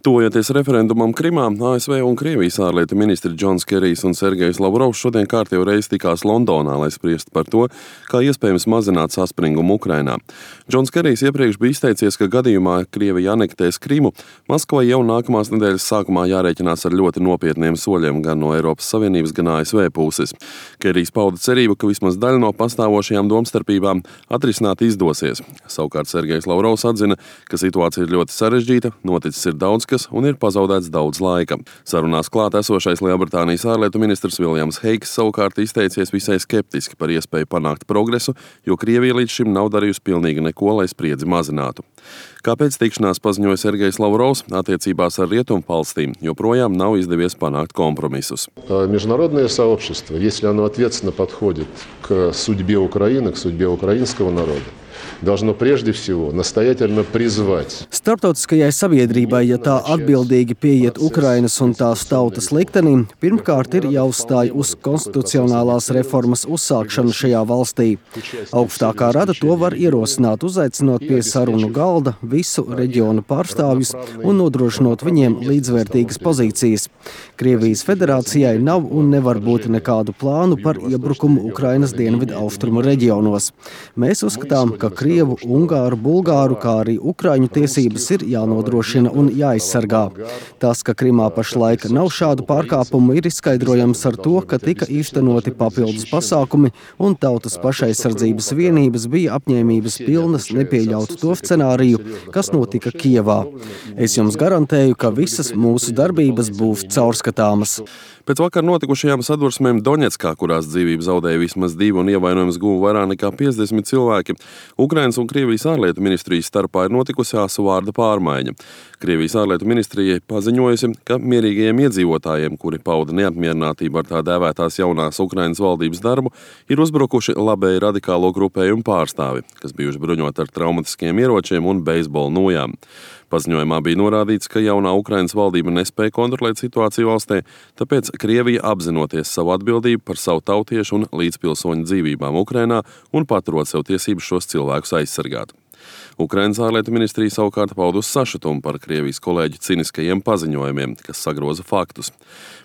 Tuvojoties referendumam Krimā, ASV un Krievijas ārlietu ministri Džons Kerijs un Sergejs Lavrovs šodien kārtējo reizi tikās Londonā, lai spriestu par to, kā iespējams mazināt saspringumu Ukrainā. Džons Kerijs iepriekš bija izteicies, ka gadījumā Krievija anektēs Krimu, Maskavai jau nākamās nedēļas sākumā jārēķinās ar ļoti nopietniem soļiem gan no Eiropas Savienības, gan ASV puses. Kerijs pauda cerību, ka vismaz daļa no pastāvošajām domstarpībām atrisināt izdosies. Savukārt Sergejs Lavrovs atzina, ka situācija ir ļoti sarežģīta, noticis ir daudz un ir pazaudēts daudz laika. Sarunās klāt esošais Lielbritānijas ārlietu ministrs Viljams Heiks savukārt izteicies visai skeptiski par iespēju panākt progresu, jo Krievija līdz šim nav darījusi pilnīgi neko, lai spriedzi mazinātu. Kāpēc tikšanās paziņoja Sergejs Lavrovs, attiecībās ar Rietumvalstīm joprojām nav izdevies panākt kompromisus. Международное сообщество, если оно ответственно подходит к судьбе Украины, к судьбе украинского народа, должно прежде всего настоятельно призвать. Starptautiskajai sabiedrībai, ja tā atbildīgi pieiet Ukrainas un tās tautas liktenim, pirmkārt ir jāuzstāj uz konstitucionālās reformas uzsākšanu šajā valstī. Augstākā rada to var ierosināt, uzaicinot pie sarunu galda visu reģionu pārstāvjus un nodrošinot viņiem līdzvērtīgas pozīcijas. Krievijas federācijai nav un nevar būt nekādu plānu par iebrukumu Ukrainas dienvidu austrumu reģionos. Mēs uzskatām, ka Krievu, Ungāru, Bulgāru, kā arī Ukraiņu tiesības ir jānodrošina un jāizsargā. Tas, ka Krimā pašlaik nav šādu pārkāpumu, ir izskaidrojams ar to, ka tika īstenoti papildus pasākumi un tautas pašaizsardzības vienības bija apņēmības pilnas nepieļaut to scenāriju, kas notika Kijevā. Es jums garantēju, ka visas mūsu darbības būs caurskatāmas. Pēc vakar notikušajām sadursmēm Doņetskā, kurās dzīvību zaudēja vismaz 2 un ievainojums guva vairāk nekā 50 cilvēki, Ukrainas un Krievijas ārlietu ministrijas starpā ir notikusi asu vārda pārmaiņa. Krievijas ārlietu ministrijai paziņojusi, ka mierīgajiem iedzīvotājiem, kuri pauda neapmierinātību ar tā dēvētās jaunās Ukrainas valdības darbu, ir uzbrukuši labēji radikālo grupējumu pārstāvi, kas bijuši bruņoti ar traumatiskiem ieročiem un beisbola nojām. Paziņojumā bija norādīts, ka jaunā Ukrainas valdība nespēja kontrolēt situāciju valstī, tāpēc Krievija apzinoties savu atbildību par savu tautiešu un līdzpilsoņu dzīvībām Ukrainā un paturot sev tiesības šos cilvēkus aizsargāt. Ukrainas ārlietu ministrija savukārt paudus sašutumu par Krievijas kolēģu ciniskajiem paziņojumiem, kas sagroza faktus.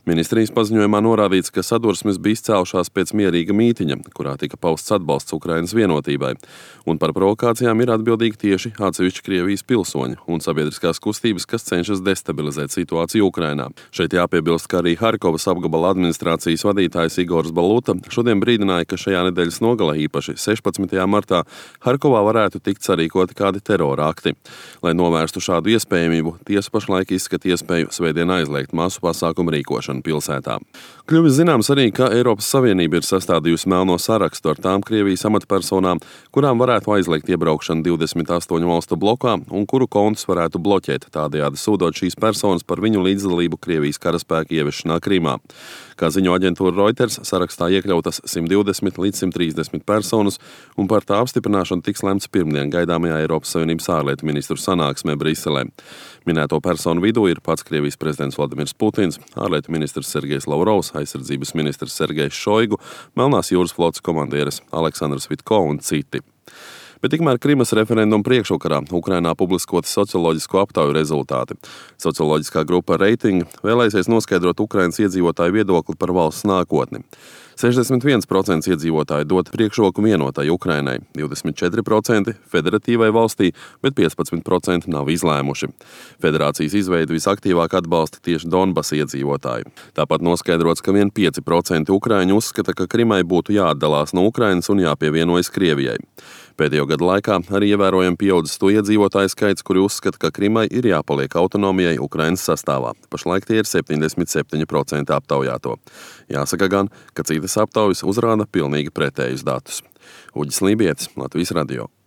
Ministrijas paziņojumā norādīts, ka sadursmes bija izcēlušās pēc mierīga mītiņa, kurā tika pausts atbalsts Ukrainas vienotībai, un par provokācijām ir atbildīgi tieši atsevišķi Krievijas pilsoņi un sabiedriskās kustības, kas cenšas destabilizēt situāciju Ukrainā. Šeit jāpiebilst, ka arī Harkovas apgabala administrācijas vadītājs Igors Baluta šodien brīdināja, ka šajā nedēļas nogalē, īpaši 16. martā, Harkovā varētu tikt sarīkoti kādi terora akti. Lai novērstu šādu iespējamību, tiesa pašlaik izskata iespēju svētdien aizliegt masu pasākumu rīkošanu pilsētā. Kļuvis zināms arī, ka Eiropas Savienība ir sastādījusi melno sarakstu ar tām Krievijas amatpersonām, kurām varētu aizliegt iebraukšanu 28 valstu blokā un kuru kontus varētu bloķēt, tādējādi sūdot šīs personas par viņu līdzdalību Krievijas karaspēku ieviešanā Krimā. Kā ziņo aģentūra Reuters, sarakstā iekļautas 120 līdz 130 personas, un par tā apstiprināšanu tiks lemts pirmdien gaidāmajā Eiropas Savienības ārlietu ministru sanāksmē Briselē. Minēto personu vidū ir pats Krievijas prezidents Vladimirs Putins, ārlietu ministrs Sergejs Lavrovs, aizsardzības ministrs Sergejs Šoigu, Melnās jūras flotes komandieris Aleksandrs Vitko un citi. Bet tikmēr Krimas referenduma priekšvakarā Ukrainā publiskoti socioloģisko aptauju rezultāti. Socioloģiskā grupa Reiting vēlēsies noskaidrot Ukrainas iedzīvotāju viedokli par valsts nākotni. 61% iedzīvotāji dod priekšroku vienotai Ukrainai, 24% federatīvai valstī, bet 15% nav izlēmuši. Federācijas izveidi visaktīvāk atbalsta tieši Donbasa iedzīvotāji. Tāpat noskaidrots, ka vien 5% ukraiņu uzskata, ka Krimai būtu jāatdalās no Ukrainas un jāpievienojas Krievijai. Pēdējo gadu laikā arī ievērojami pieaudzis to iedzīvotāju skaits, kuri uzskata, ka Krimai ir jāpaliek autonomijai Ukrainas sastāvā. Pašlaik tie ir 77% aptaujāto. Jāsaka gan, ka citas aptaujas uzrāda pilnīgi pretējus datus. Uģis Lībietis, Latvijas radio.